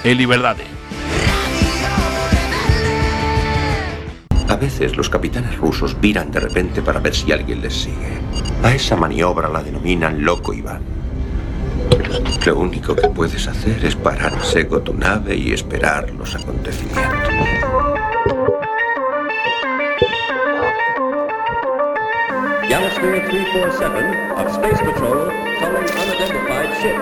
e liberdade. A veces los capitanes rusos viran de repente para ver si alguien les sigue. A esa maniobra la denominan Loco Iván. Lo único que puedes hacer es parar en seco tu nave y esperar los acontecimientos. Galasphere 347 of Space Patrol calling unidentified ship.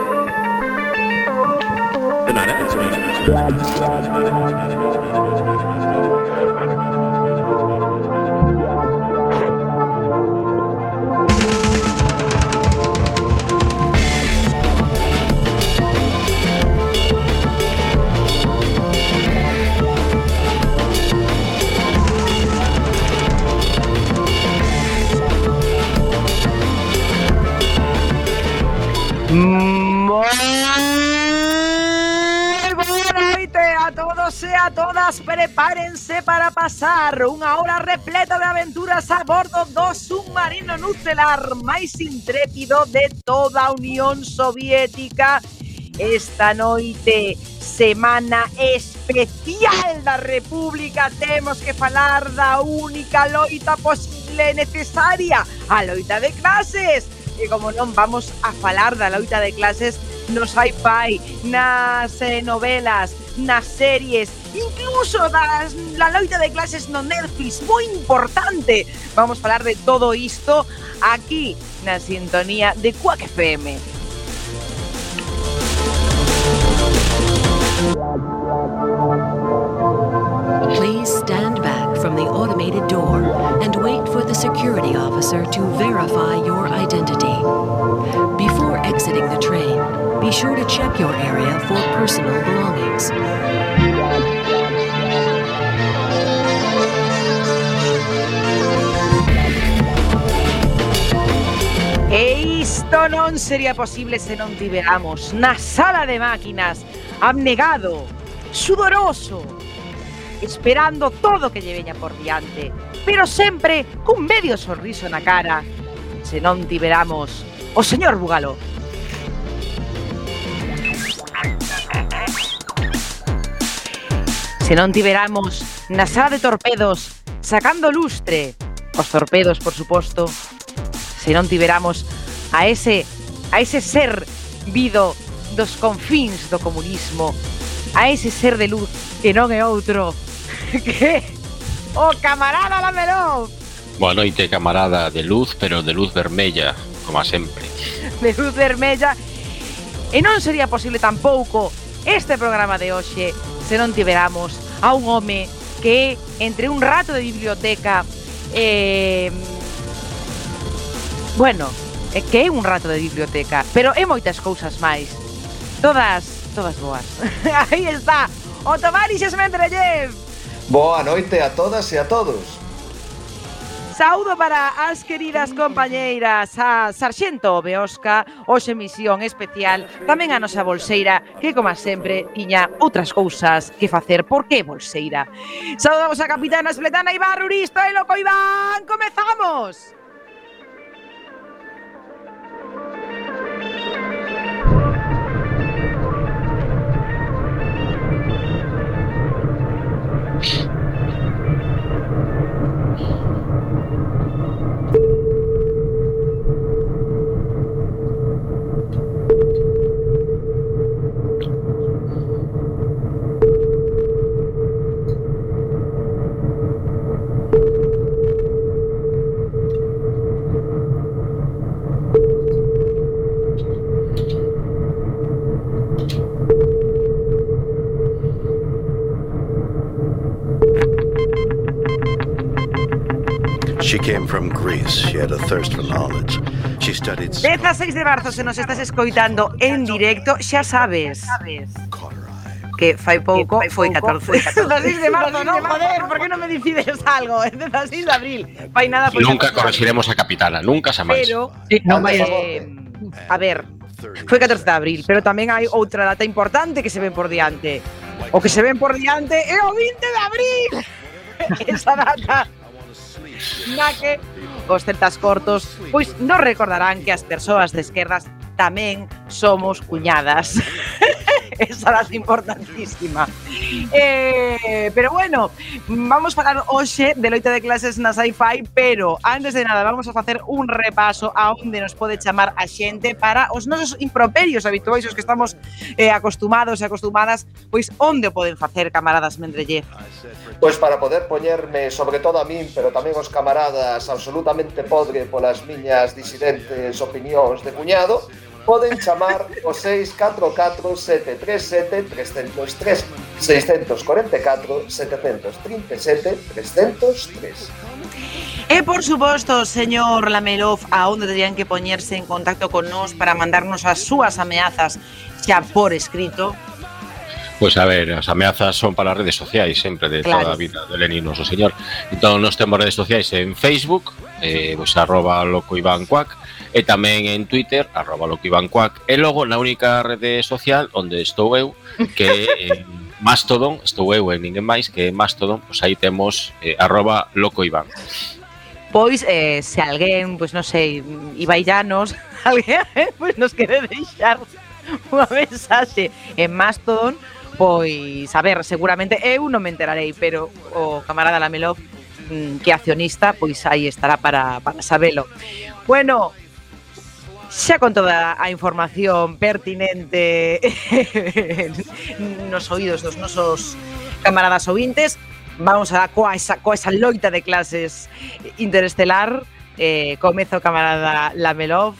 E a todas, prepárense para pasar unha hora repleta de aventuras a bordo do submarino nucelar máis intrépido de toda a Unión Soviética. Esta noite, semana especial da República, temos que falar da única loita posible necesaria, a loita de clases. E como non vamos a falar da loita de clases no sci-fi, nas novelas, nas series, incluso da loita de clases no Netflix, moi importante. Vamos falar de todo isto aquí na sintonía de Quack FM. Please stand back from the automated door and wait for the security officer to verify your identity. Before exiting the train, be sure to check your area for personal belongings. E isto non sería posible se non tiveramos na sala de máquinas abnegado, sudoroso, esperando todo que lle veña por diante, pero sempre cun medio sorriso na cara, se non tiveramos o señor Búgalo. Se non tiveramos na sala de torpedos sacando lustre, os torpedos, por suposto, se non tiveramos a ese ser vido dos confíns do comunismo, a ese ser de luz que non é outro que o camarada Lamelov. Boa noite, camarada, de luz, pero de luz vermella, como sempre. De luz vermella. E non sería posible tampouco este programa de hoxe se non tiveramos a un home que entre un rato de biblioteca bueno, que é un rato de biblioteca, pero é moitas cousas máis. Todas boas. Aí está, o Tovarix Mendeleyev. Boa noite a todas e a todos. Saúdo para as queridas compañeiras, a Sarxento Beosca, hoxe misión especial, tamén a nosa bolseira, que, como sempre, tiña outras cousas que facer. Por que bolseira? Saúdamos a capitana Spletana Iván Ruristo e Loco Iván. ¡Comezamos! She came from Greece. She had a thirst for knowledge. She studied... 16 de marzo, se nos estás escoitando en directo, xa sabes que fai pouco foi 14. 16 de marzo, non, joder, por que non me decides algo? 16 de abril, fai nada foi Nunca corregiremos a capitana, nunca xa máis. Pero, a ver, foi 14 de abril, pero tamén hai outra data importante que se ven por diante. O que se ven por diante é o 20 de abril. Esa data na que os celtas cortos pois non recordarán que as persoas de esquerdas tamén somos cuñadas. esa é importantísima. Pero bueno, vamos falar hoxe de loita de clases na Sci-Fi, pero antes de nada vamos a facer un repaso a onde nos pode chamar a xente para os nosos improperios habituais, os que estamos acostumados e acostumadas, pois onde o poden facer, camaradas Mendrelle? Pois para poder poñerme, sobre todo a min, pero tamén os camaradas, absolutamente podre polas miñas disidentes opinións de cuñado, poden chamar o 644-737-303, 644-737-303. E por suposto, señor Lamelov, a onde terían que poñerse en contacto con nós para mandarnos as súas ameazas xa por escrito? Pois a ver, as ameazas son para as redes sociais sempre de toda a vida de Lenin noso señor. Entón nos temos redes sociais en Facebook, pois @locoivancuac, e tamén en Twitter @locoivancuac, e logo na única rede social onde estou eu, que é Mastodon, estou eu e ninguén máis, que é Mastodon, pois aí temos @locoivan. Pois, se alguén, pois non sei, Ibaillanos, alguén, pois nos quere deixar unha mensaxe en Mastodon, pois, a ver, seguramente eu non me enterarei, pero o camarada Lamelov, que é accionista, pois aí estará para sabelo. Bueno, xa con toda a información pertinente nos oídos dos nosos camaradas ouvintes, vamos a coa esa loita de clases interestelar. Comeza o camarada Lamelov,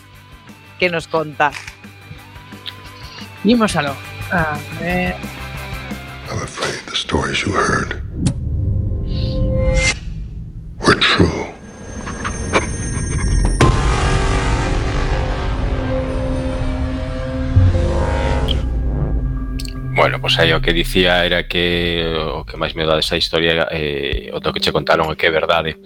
que nos conta. Dímosalo. A ver. I'm afraid the stories you heard were true. Bueno, pois aí o que dicía era que o que máis me dá desa historia o que che contaron é que é verdade.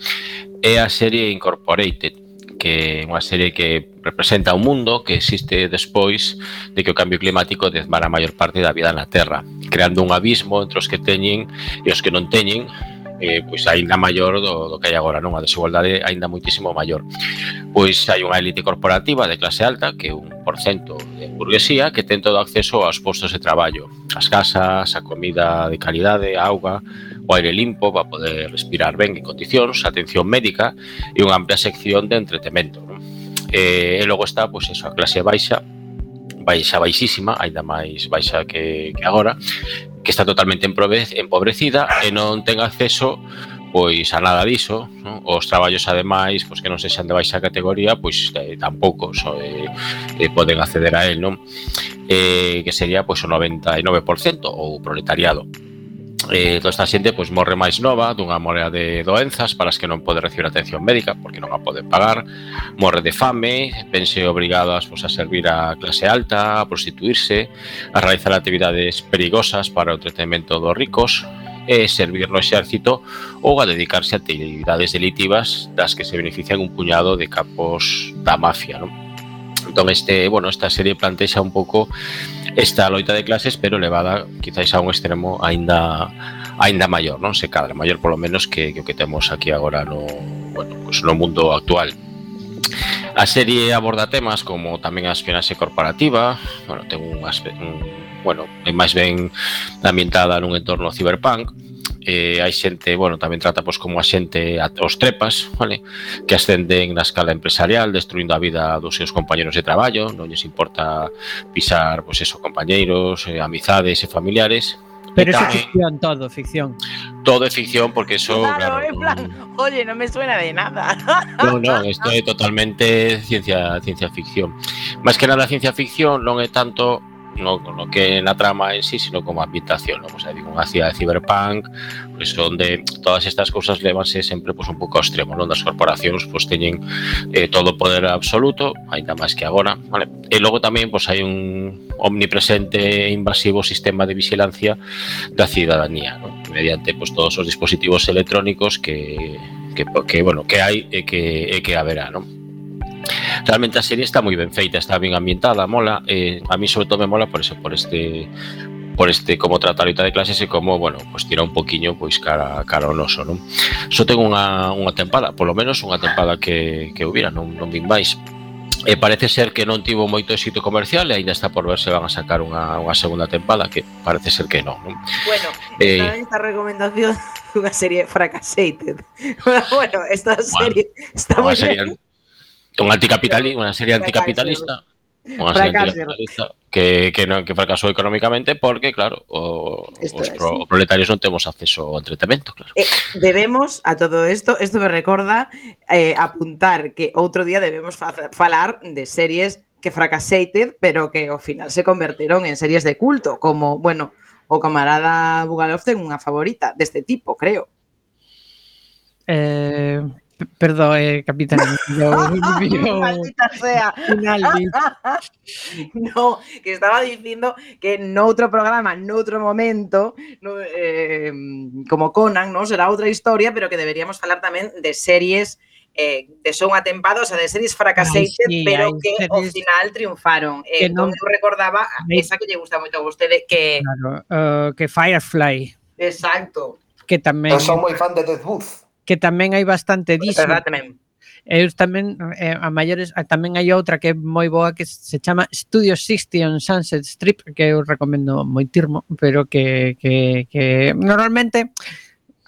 É a serie Incorporated, que é unha serie que representa un mundo que existe despois de que o cambio climático desmara a maior parte da vida na Terra, creando un abismo entre os que teñen e os que non teñen, pois aínda maior do que hai agora, non? A desigualdade aínda moitísimo maior. Pois hai unha élite corporativa de clase alta, que é 1% de burguesía, que ten todo acceso aos postos de traballo, as casas, a comida de calidade, a auga, o aire limpo para poder respirar ben en condicións, atención médica e unha amplia sección de entretemento, non? E logo está, pois eso, a clase baixísima, aínda máis baixa que agora, que está totalmente empobrecida e non ten acceso pois a nada diso, non? Os traballos ademais, pois que non sexan de baixa categoría, pois tampouco poden acceder a él, non? Que sería pois o 99% ou proletariado. Toda esta xente pois morre máis nova dunha morea de doenzas para as que non pode recibir atención médica porque non a poden pagar, morre de fame, vense obrigadas pois a servir a clase alta, a prostituirse, a realizar actividades perigosas para o entretenimento dos ricos, e servir no exército ou a dedicarse a actividades delitivas das que se benefician un puñado de capos da mafia, non? Entón esta serie plantexa un pouco esta loita de clases, pero levada quizáis a un extremo aínda maior, non? Se cadra, maior polo menos que o que temos aquí agora no mundo actual. A serie aborda temas como tamén a espionaxe corporativa, ten é máis ben ambientada nun entorno cyberpunk. Hai xente, tamén trata como a xente os trepas, vale? Que ascenden na escala empresarial, destruindo a vida dos seus compañeros de traballo, non lles importa pisar, compañeiros, amizades e familiares. Pero eso é ficción, ficción. Todo é ficción porque eso, claro, en plan, oye, non me suena de nada. Non, isto é totalmente ciencia ficción. Máis que nada ciencia ficción non é tanto no que na trama en sí, sino como ambientación, non? Pues hai unha cidade cyberpunk, pois onde todas estas cousas levanse sempre un pouco ao extremo, non? Das corporacións teñen todo o poder absoluto, aínda máis que agora, vale? E logo tamén hai un omnipresente e invasivo sistema de vigilancia da cidadanía, non? Mediante todos os dispositivos electrónicos que hai e que haberá, non? Realmente a serie está moi ben feita, está ben ambientada, mola, a mí sobre todo me mola por este como trata a loita de clases e como, tira un poquiño cara ao noso, non? Só ten unha tempada, polo menos unha tempada que hubiera, non vin máis. E parece ser que non tivo moito éxito comercial e ainda está por ver se van a sacar unha segunda tempada, que parece ser que non. Bueno, esta recomendación unha serie Fracasated. Bueno, esta serie está moi ben. Unha serie anticapitalista. Unha serie anticapitalista que fracasou económicamente porque, claro, os proletarios non temos acceso ao entretenimento, claro. Debemos, a todo isto me recorda apuntar que outro día debemos falar de series que fracasated, pero que ao final se converteron en series de culto, como, bueno, o camarada Bugalov ten unha favorita deste tipo, creo. Perdón, capitán. Maldita sea. No, que estaba dicindo que noutro programa, noutro momento, como Conan, ¿no? Será outra historia, pero que deberíamos falar tamén de series de só unha tempada, o sea, de series fracasated, pero que ao final triunfaron. Non eu recordaba esa que lle gusta moito a vostede, que... Claro, que Firefly. Exacto. Que tamén... Eu son moi fan de Death Booth. Que tamén hai bastante diso. Eu tamén, a maiores, tamén hai outra que é moi boa que se chama Studio 60 on Sunset Strip, que eu recomendo moitirmo, pero que normalmente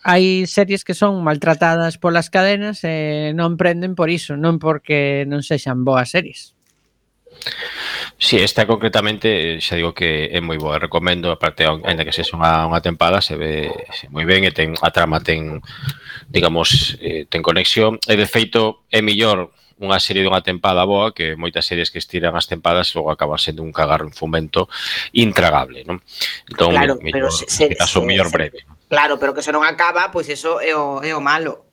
hai series que son maltratadas polas cadenas e non prenden por iso, non porque non sexan boas series. Si, esta concretamente xa digo que é moi boa, recomendo, aparte, ainda que sexa unha tempada, se ve moi ben e a trama ten, digamos, ten conexión, e de feito é mellor unha serie dunha tempada boa que moitas series que estiran as tempadas e logo acaban sendo un cagarro en fomento intragable, non? Entón, claro, mellor, caso mellor breve. Claro, pero que se non acaba, pois eso é o malo.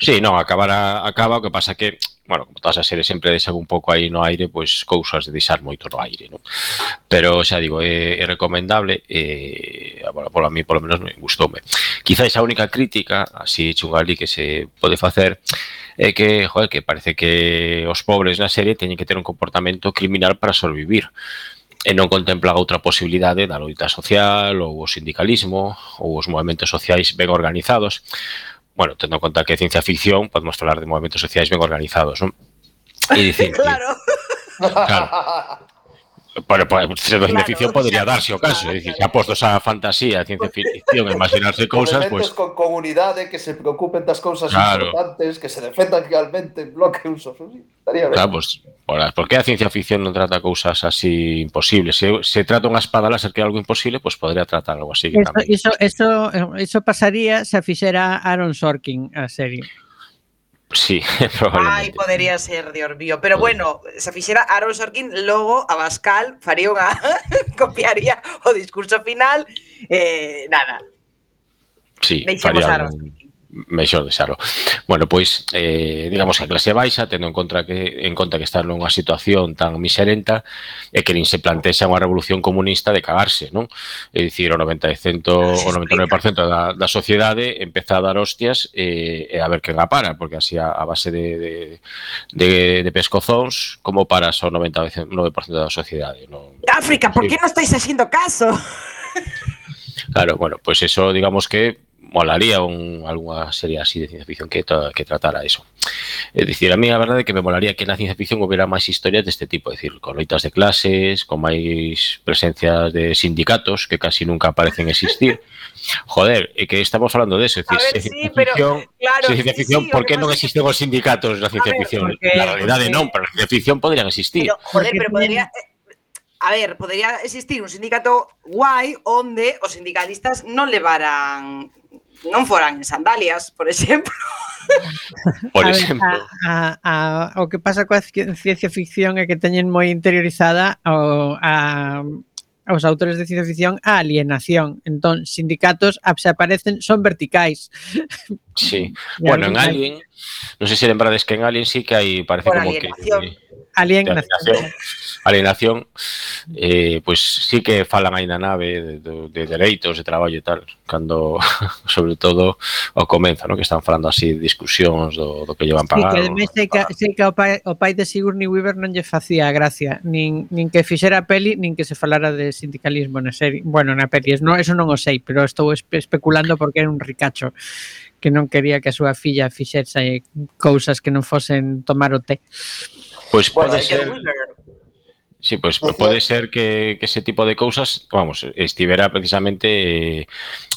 Sí, non, acaba, o que pasa que, bueno, como todas as series sempre deixan un pouco aí no aire, pois cousas de deixar moito no aire, non? Pero xa digo, é recomendable e, bueno, por a mí, polo menos, me gustoume. Quizás a única crítica, así chungali, que se pode facer é que, joder, que parece que os pobres na serie teñen que ter un comportamento criminal para sobrevivir e non contempla outra posibilidade da loita social ou o sindicalismo ou os movimentos sociais ben organizados. Bueno, tendo en conta que é ciencia ficción, podemos falar de movimentos sociais ben organizados, non? E dicir, claro. Bueno, pues, de ciencia ficción podría darse o caso, é dicir, se apostos a fantasía, a ciencia ficción, a imaginarse cousas, pues con comunidade que se preocupen das cousas importantes, que se defendan realmente en bloque usos, estaría ben. Claro, pues, por que a ciencia ficción non trata cousas así imposibles? Se trata unha espada láser que é algo imposible, pues podría tratar algo así. Eso pasaría se a fixera Aaron Sorkin a serie. Sí, probablemente. Ai, podería ser, Dios mío. Pero bueno, se fixera Aaron Sorkin, logo a Abascal faría unha copiaría o discurso final, nada. Sí, faría mellor deixarlo. Bueno, pois, digamos que a clase baixa, tendo en conta que está nunha situación tan miserenta, e que nin se plantexa unha revolución comunista de cagarse, non? É dicir, o 99% da sociedade empeza a dar hostias e a ver quen a para, porque así a base de pescozóns, como paras ao 99% da sociedade, non? África, por que non estáis haciendo caso? Claro, bueno, pois eso, digamos que molaría algunha serie así de ciencia ficción que tratara eso. É dicir, a mí a verdade é que me molaría que na ciencia ficción houbera máis historias deste tipo, é dicir, con loitas de clases, con máis presencias de sindicatos que casi nunca parecen existir. Joder, é que estamos falando de eso, é dicir, ciencia ficción, por que non existen os sindicatos na ciencia ficción? Na realidade non, pero na ciencia ficción podrían existir. Pero podría... A ver, podría existir un sindicato guai onde os sindicalistas non foran en sandalias, por exemplo. Por exemplo. O que pasa coa ciencia ficción é que teñen moi interiorizada aos autores de ciencia ficción a alienación. Entón, sindicatos se aparecen, son verticais. Sí. Bueno, en Alien, non sei se lembrades que en Alien sí que hai, parece como que... Alienación, pois sí que falan aí na nave de dereitos, de traballo e tal, cando, sobre todo, ao comeza, que están falando así de discusións do que llevan pagado. Sí, que sei que o pai de Sigourney Weaver non lle facía gracia, nin que fixera a peli, nin que se falara de sindicalismo na serie. Bueno, na peli, eso non o sei, pero estou especulando porque era un ricacho que non quería que a súa filla fixese cousas que non fosen tomar o té. Pois Bueno, pode ser... Sí, pois pode ser que ese tipo de cousas, vamos, estivera precisamente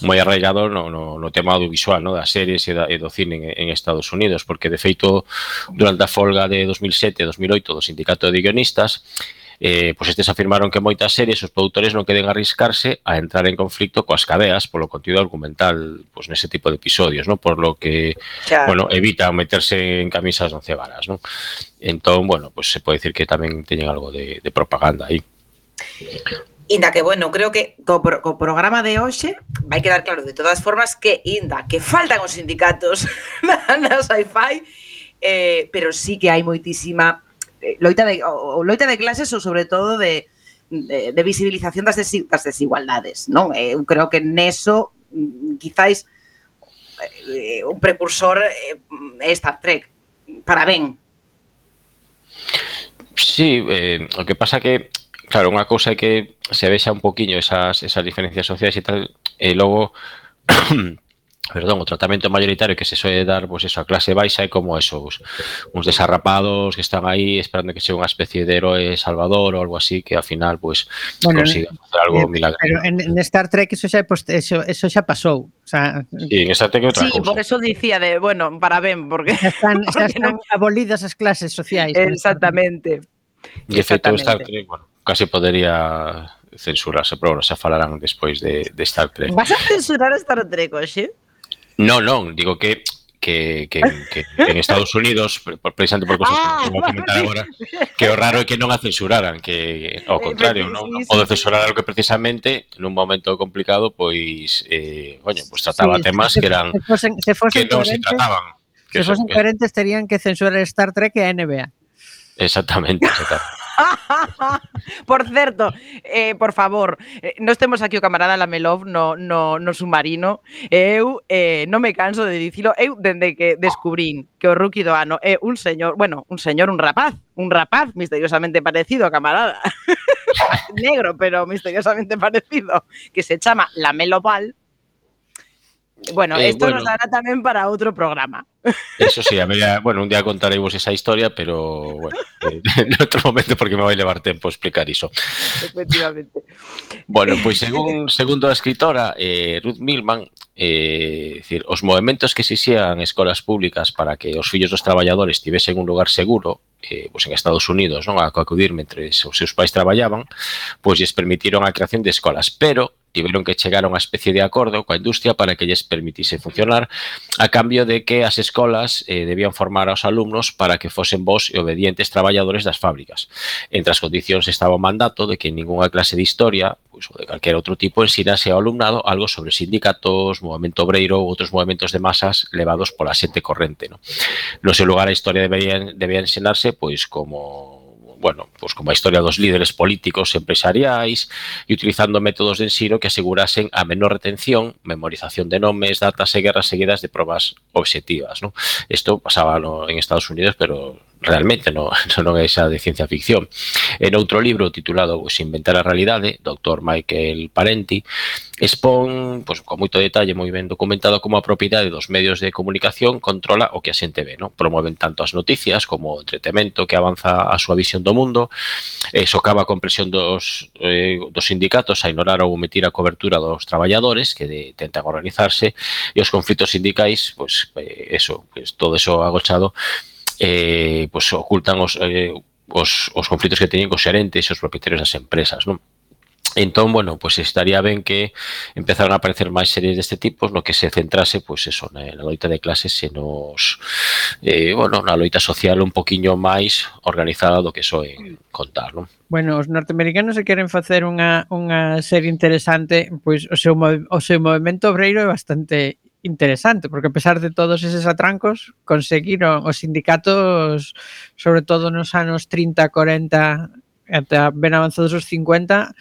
moi arraigado no tema audiovisual, no, das series e do cine en Estados Unidos, porque de feito durante a folga de 2007-2008 do Sindicato de Guionistas, pois estes afirmaron que moitas series os produtores non queren arriscarse a entrar en conflicto coas cadeas polo contido argumental pois nese tipo de episodios, no? Por lo que, bueno, evitan meterse en camisas de 11 varas, no? Entón, bueno, pois se pode dicir que tamén teñen algo de propaganda aí. Inda que, bueno, creo que co programa de hoxe vai quedar claro de todas formas que, inda que faltan os sindicatos na Sci-Fi, pero sí que hai moitísima loita de clases ou sobre todo de visibilización das desigualdades, non? Eu creo que neso quizáis un precursor Star Trek, para ben. Sí, o que pasa que, claro, unha cousa é que se vexa un poquinho esas diferencias sociais e tal, e logo o tratamento mayoritario que se suele dar, pois eso, a clase baixa é como esos, uns desarrapados que están aí esperando que sea unha especie de héroe salvador ou algo así, que ao final, pois, consigan facer algo milagroso. Pero en Star Trek eso xa pasou. O sea, sí, en Star Trek é outra cousa. Sí, por eso dicía de, bueno, para ben, porque... Xa están abolidas as clases sociais. Exactamente. De feito, Star Trek, bueno, casi podería censurarse, pero bueno, xa falarán despois de Star Trek. Vas a censurar Star Trek, oxe? Non, digo que en Estados Unidos, precisamente por cosas que vou comentar agora, que o raro é que non a censuraran, que ao contrario, non pode censurar algo que precisamente nun momento complicado, pois, pois trataba temas que eran que non se trataban. Se fosen coherentes, terían que censurar Star Trek e a NBA. Exactamente. Por certo, por favor, nós temos aquí o camarada Lamelov no submarino. Eu non me canso de dicilo. Eu, dende que descubrín que o rookie do ano é un rapaz misteriosamente parecido a camarada negro, pero misteriosamente parecido, que se chama Lameloval. Bueno, esto nos dará tamén para outro programa. Eso sí, un día contareivos esa historia, pero bueno, en outro momento porque me vai levar tempo explicar iso. Efectivamente. Bueno, pois segundo a escritora Ruth Milman, decir, os movementos que se xían en escolas públicas para que os fillos dos traballadores tivesen un lugar seguro, pois en Estados Unidos, non, a acudir mentre os seus pais traballaban, pois lles permitiron a creación de escolas, pero tiveron que chegar a unha especie de acordo coa industria para que lles permitise funcionar a cambio de que as escolas debían formar aos alumnos para que fosen bons e obedientes traballadores das fábricas. Entre as condicións estaba o mandato de que en ninguna clase de historia, pois, ou de calquer outro tipo, ensinase ao alumnado algo sobre sindicatos, movemento obreiro ou outros movementos de masas levados pola xente corrente. No seu lugar, a historia debía ensinarse pois como a historia dos líderes políticos e empresariais e utilizando métodos de ensino que asegurasen a menor retención, memorización de nomes, datas e guerras seguidas de probas obxectivas. Isto pasaba en Estados Unidos, pero realmente non é esa de ciencia ficción. En outro libro titulado Inventar a realidade, Dr. Michael Parenti expón, con moito detalle, moi ben documentado, como a propiedade dos medios de comunicación controla o que a xente ve. Promoven tanto as noticias como o entretemento que avanza a súa visión do mundo, socava a compresión dos sindicatos a ignorar ou omitir a cobertura dos traballadores que tentan organizarse, e os conflitos sindicais, todo eso agochado, ocultan os conflitos que teñen cos xerentes e os propietarios das empresas, non? Entón, estaría ben que empezaran a aparecer máis series deste tipo no que se centrase, na loita de clases e na loita social un poquinho máis organizada do que soen contar, non? Bueno, os norteamericanos se queren facer unha serie interesante, pois o seu movemento obreiro é bastante interesante, porque a pesar de todos eses atrancos, conseguiron os sindicatos, sobre todo nos anos 30, 40, até ben avanzados os 50,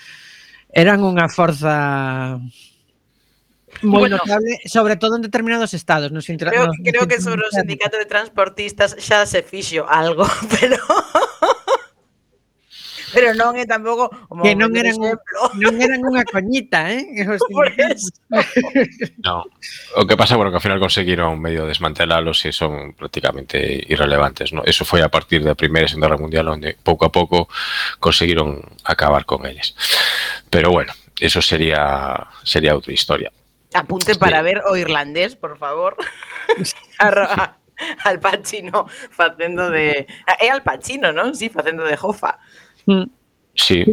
eran unha forza moi notable, sobre todo en determinados estados. Creo que sobre o sindicato de transportistas xa se fixo algo, pero... Pero non é tampouco que non eran unha coñita, Por eso. No. O que pasa, bueno, que ao final conseguiron medio desmantelalos e son prácticamente irrelevantes, ¿no? Eso foi a partir da Primeira e Segunda Guerra Mundial onde pouco a pouco conseguiron acabar con eles. Pero bueno, eso sería outra historia. Apunte para ver o irlandés, por favor. Al Pacino facendo de... É Al Pacino, non? Sí, facendo de Hoffa. Sí.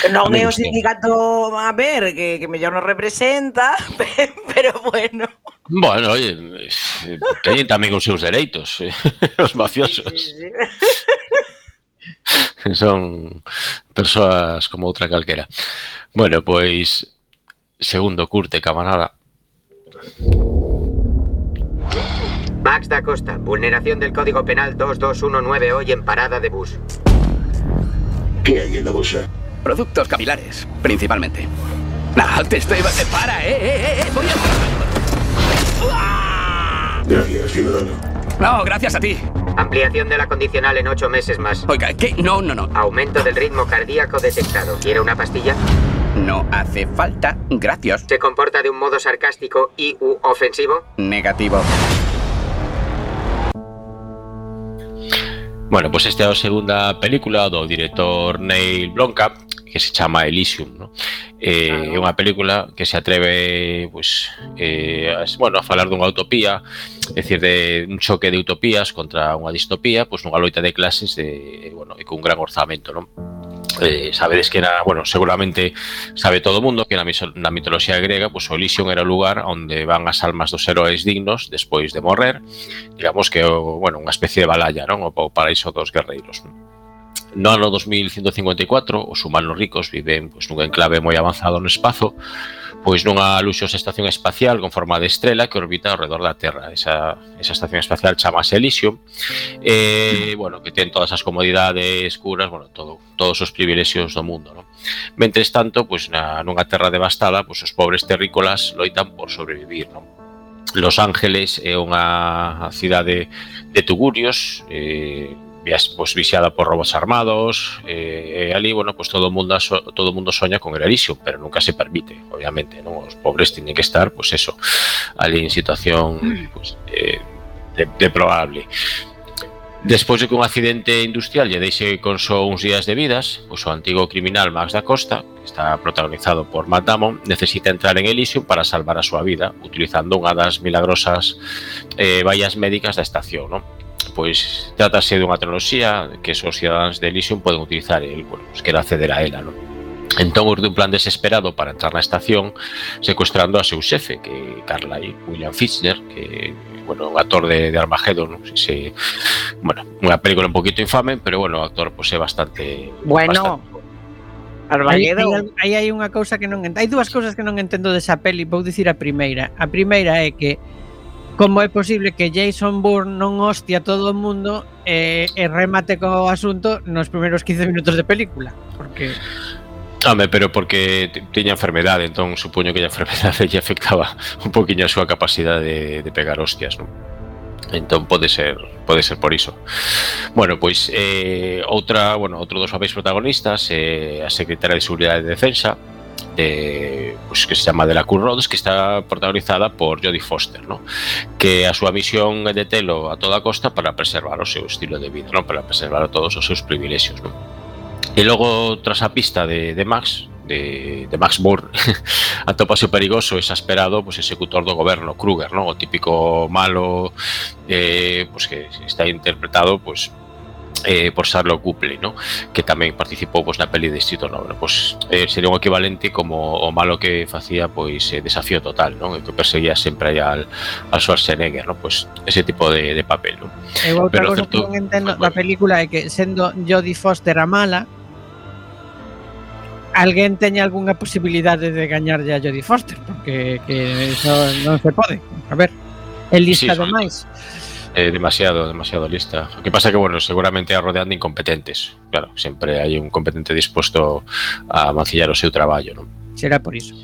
Non é o sindicato, a ver, que mellor nos representa, pero bueno. Bueno, oye, teñen tamén os seus dereitos, os mafiosos. Sí. Son persoas como outra calquera. Bueno, pois, segundo curte, camarada. Max da Costa, vulneración del Código Penal 2219 hoy en parada de bus. ¿Qué hay en la bolsa? Productos capilares, principalmente. Te estoy... ¡Para, voy a... Gracias, ciudadano. No, gracias a ti. Ampliación de la condicional en 8 meses más. Oiga, ¿qué? No. Aumento del ritmo cardíaco detectado. ¿Quiere una pastilla? No hace falta, gracias. ¿Se comporta de un modo sarcástico y u ofensivo? Negativo. Bueno, pois esta é a segunda película do director Neil Blomkamp, que se chama Elysium, ¿no? É unha película que se atreve pois, a falar dunha utopía, é dicir, de un choque de utopías contra unha distopía, pois nunha loita de clases e con un gran orzamento, non? Sabedes que seguramente sabe todo o mundo que na mitoloxía grega, pois o Elysium era o lugar onde van as almas dos heróis dignos despois de morrer, digamos que unha especie de Valhalla, non? O paraíso dos guerreiros. No ano 2154, os humanos ricos viven pois nun enclave moi avanzado no espazo, pois nunha luxosa estación espacial con forma de estrela que orbita ao redor da Terra. Esa estación espacial chamase Elysium, que ten todas as comodidades, curas, todos os privilexios do mundo, non? Mentres tanto, pois nunha terra devastada, pois os pobres terrícolas loitan por sobrevivir, non? Los Ángeles é unha cidade de tugurios, vixiada por robots armados, e ali, todo o mundo soña con el Elysium, pero nunca se permite, obviamente, non? Os pobres tienen que estar, ali en situación deplorable. Despois de que un accidente industrial lle deixe con só uns días de vidas, o antigo criminal Max da Costa, que está protagonizado por Matt Damon, necesita entrar en Elysium para salvar a súa vida, utilizando unha das milagrosas vallas médicas da estación, non? Pois trátase dunha tecnoloxía que os cidadáns de Elysium poden utilizar e quere acceder a ela, non? Entón, urde un plan desesperado para entrar na estación secuestrando a seu xefe, que é Carlyle William Fichtner, que un actor de Armageddon, unha película un poquito infame, pero o actor é bastante... Armageddon. Aí hai unha cousa que non entendo. Hai dúas cousas que non entendo desa peli, vou dicir a primeira. A primeira é que como é posible que Jason Bourne non hostia a todo o mundo e remate co asunto nos primeiros 15 minutos de película? Porque... pero porque tiña enfermedade, entón supoño que a enfermedade lle afectaba un poquinho a súa capacidade de pegar hostias, non? Entón pode ser por iso. Bueno, pois outro dos papéis protagonistas é a secretaria de Seguridade de Defensa, que se chama Delacour Rhodes, que está protagonizada por Jodie Foster, ¿no? Que a súa misión é detelo a toda costa para preservar o seu estilo de vida, ¿no? Para preservar todos os seus privilexios, ¿no? E logo, tras a pista de Max Bourne, atópase o perigoso e exasperado executor do goberno, Kruger, ¿no? O típico malo que está interpretado por Sherlock Copley, ¿no? Que tamén participou na peli de Distrito 9, sería un equivalente como o malo que facía Desafío Total, ¿no? Que perseguía sempre al Schwarzenegger, ¿no? Ese tipo de papel, ¿no? E outra cosa que non entendo da película é que sendo Jodie Foster a mala, alguén teña algunha posibilidade de gañarlle a Jodie Foster, porque eso non se pode. A ver, é lista demais. Demasiado lista. O que pasa que, seguramente a rodean de incompetentes. Claro, sempre hai un competente disposto a mancillar o seu traballo, non? Será por iso.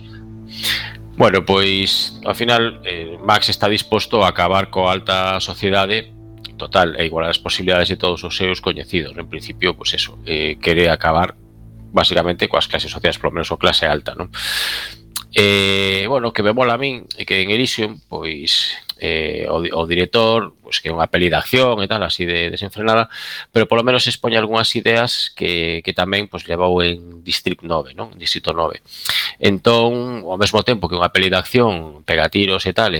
Bueno, pois, ao final, Max está disposto a acabar coa alta sociedade total e igualar as posibilidades de todos os seus coñecidos. En principio, pois eso, quere acabar basicamente coas clases sociais, polo menos o clase alta, non? Bueno, que me mola a min é que en Elysium, pois o director, pois que é unha peli de acción e tal, así de desenfrenada, pero polo menos expoñe algunhas ideas que tamén pois levou en Distrito 9, non? Distrito 9. Entón, ao mesmo tempo que unha peli de acción, pega tiros e tal,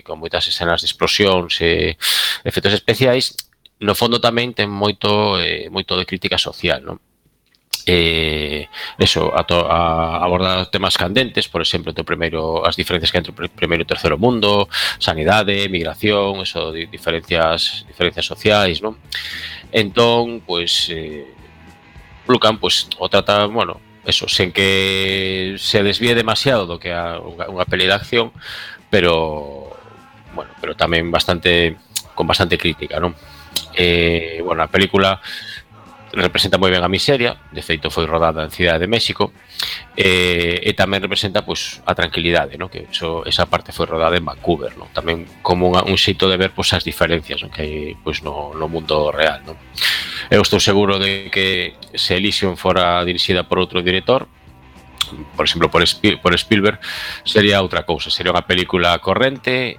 con moitas escenas de explosións e efectos especiais, no fondo tamén ten moito de crítica social, non? Eso, a abordar temas candentes, por exemplo, as diferencias que entre o primeiro e o terceiro mundo, sanidade, migración, eso, diferencias sociais, non? Entón, pois, Lucan, pois, o trata, bueno, eso, sen que se desvíe demasiado do que é unha peli de acción, pero, bueno, pero tamén con bastante crítica, non? Bueno, a película representa moi ben a miseria, de feito foi rodada en Cidade de México, e tamén representa pois a tranquilidade, non? Que esa parte foi rodada en Vancouver, non? Tamén como un xeito de ver pois as diferencias, non? Que hai pois no mundo real, non? Eu estou seguro de que se Elysium fora dirixida por outro director, por exemplo, por Spielberg, sería outra cousa, sería unha película corrente,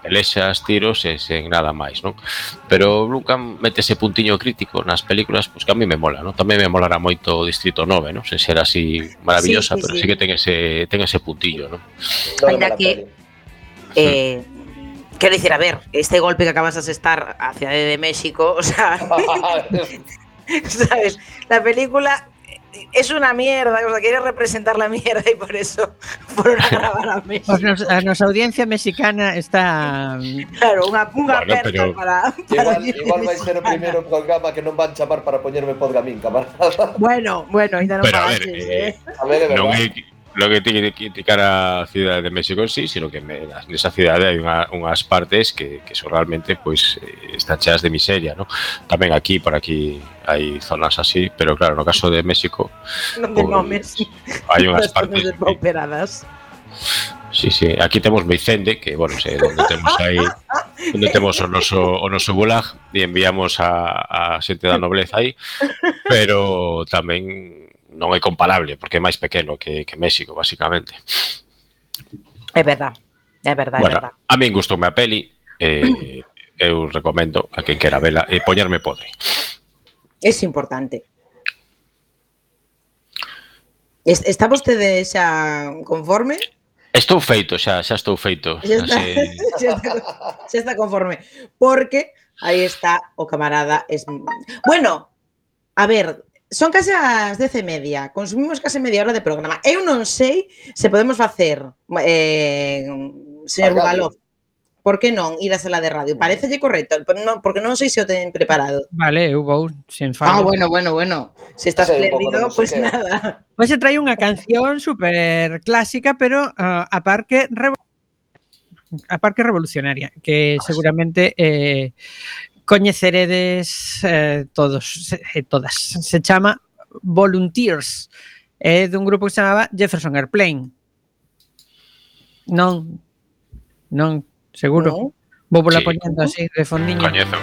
pelexas, tiros e sen nada máis, non? Pero Lucan mete ese puntiño crítico nas películas, pois que a mí me mola, non? Tamén me molará moito Distrito 9, non? Sen ser así maravillosa, pero sí que ten ese puntillo, non? Ainda que quero dicir, a ver, este golpe que acabas de asestar a Cidade de México, o sea, ¿sabes? La película es una mierda, o sea, quiere representar la mierda y por eso fueron a grabar a México. A nosa audiencia mexicana está... Claro, unha aperta pero... para igual vai ser o primeiro programa que non van chamar para poñerme podgamín, camarada. Bueno, ainda non pasa. A ver, non é lo que tiene que criticar a Cidade de México en sí, sino que nesa cidade hai unhas partes que son realmente pois están cheas de miseria, ¿no? Tamén por aquí hai zonas así, pero claro, no caso de México hai unhas partes operadas. Sí, aquí temos Meicende, que bueno, onde temos aí onde temos o noso gulag e enviamos a xente da nobleza aí, pero tamén non é comparable, porque é máis pequeno que México, basicamente. É verdad. Bueno, a min gustoume a peli, eu recomendo a quen quera vela e poñerme podre. É importante. Está vostede xa conforme? Estou feito, xa estou feito. Xa está conforme. Porque aí está o camarada. Bueno, a ver... Son case as 10:30, consumimos case media hora de programa. Eu non sei se podemos facer, señor Bugalov, por que non ir a sala de radio? Parecelle correcto, porque non sei se o ten preparado. Vale, eu vou, sen fallo. Bueno. Se está espléndido, pois nada. Pois se trae unha canción super clásica, pero a parque revolucionaria, que seguramente... coñeceredes todos e todas. Se chama Volunteers. É dun grupo que se chamaba Jefferson Airplane. Non, seguro. Vou pola poñendo así de fondiño. Coñezo.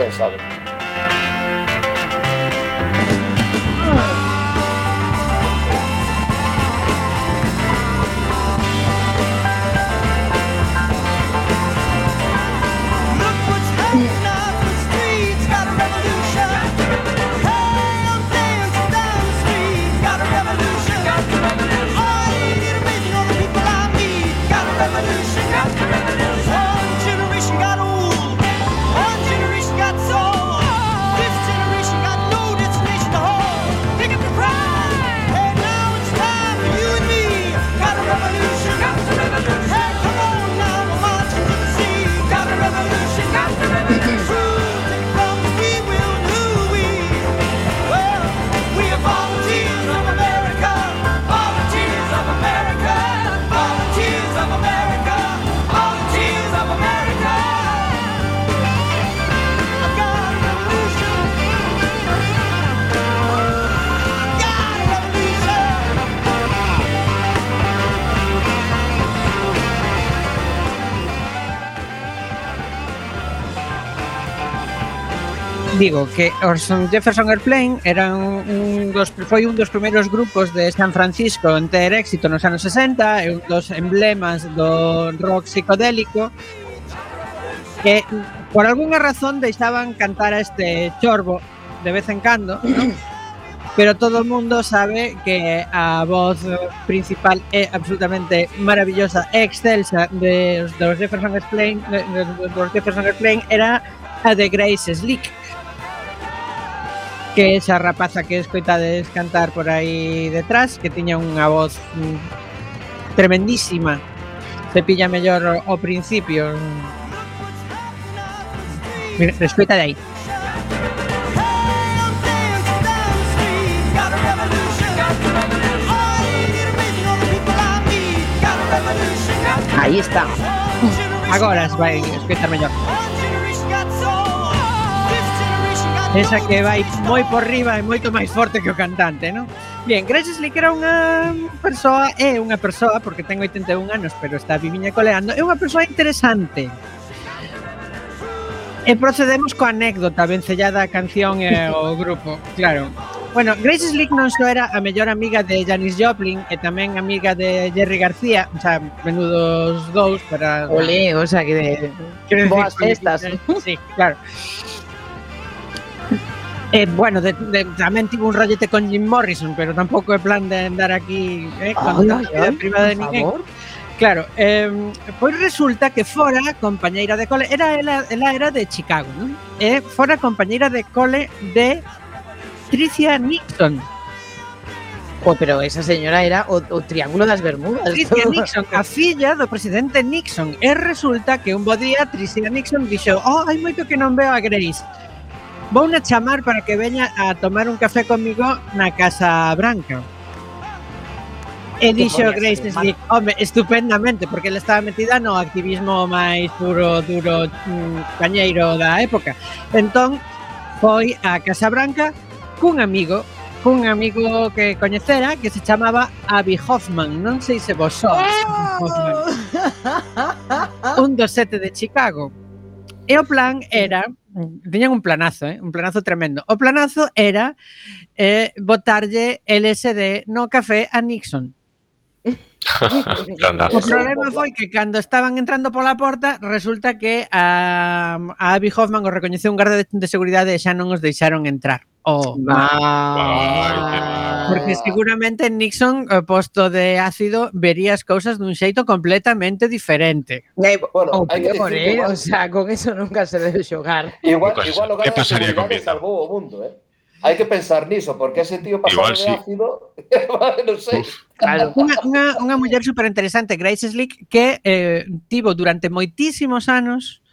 One generation got old, one generation got sold. Digo que os Jefferson Airplane foi un dos primeiros grupos de San Francisco en ter éxito nos anos 60, e un dos emblemas do rock psicodélico, que por algunha razón deixaban cantar a este chorbo de vez en cando, ¿no? Pero todo o mundo sabe que a voz principal é absolutamente maravillosa e excelsa dos Jefferson Airplane, era a de Grace Slick, que esa rapaza que escoitades cantar por aí detrás, que tiña unha voz tremendísima. Se pilla mellor ao principio. Mira, escoita de aí. Aí está. Agora vai escoitar mellor. Esa que vai moi por riba e moito máis forte que o cantante, non? Bien, Grace Slick era unha persoa, porque ten 81 anos, pero está viviña coleando, é unha persoa interesante. E procedemos coa anécdota vencellada a canción e o grupo, claro. Bueno, Grace Slick non só era a mellor amiga de Janis Joplin e tamén amiga de Jerry García, o sea, menudos dous para... Olé, o sea, que boas festas. Sí, claro. Bueno, tamén tivo un rollete con Jim Morrison, pero tampouco é plan de andar aquí con a vida privada de ninguén. Claro, pois resulta que fora compañeira de cole, ela era de Chicago, non? E fora compañeira de cole de Tricia Nixon. Pero esa señora era o Triángulo das Bermudas. Tricia Nixon, a filla do presidente Nixon. E resulta que un bo día Tricia Nixon dixo: hai moito que non veo a Grace. Vou na chamar para que veña a tomar un café comigo na Casa Branca. E dixo Grace Slick, home, estupendamente, porque ela estaba metida no activismo máis puro, duro, cañeiro da época. Entón, foi á Casa Branca cun amigo que coñecera, que se chamaba Abby Hoffman. Non sei se vos sois. Un dos 7 de Chicago. E o plan era... Tiñan un planazo tremendo. O planazo era botarlle LSD no café a Nixon. O problema foi que cando estaban entrando pola porta, resulta que a Abby Hoffman o recoñeceu un garda de seguridade e xa non os deixaron entrar. Porque seguramente Nixon, posto de ácido, vería as cousas dun xeito completamente diferente. Bueno, hai que decir que o sea, con eso nunca se debe xogar. Igual o garda de seguridade salvou o mundo, Hai que pensar niso, porque ese tío pasado de ácido, non sei. Claro. Unha muller super interesante, Grace Slick, que tivo durante moitísimos anos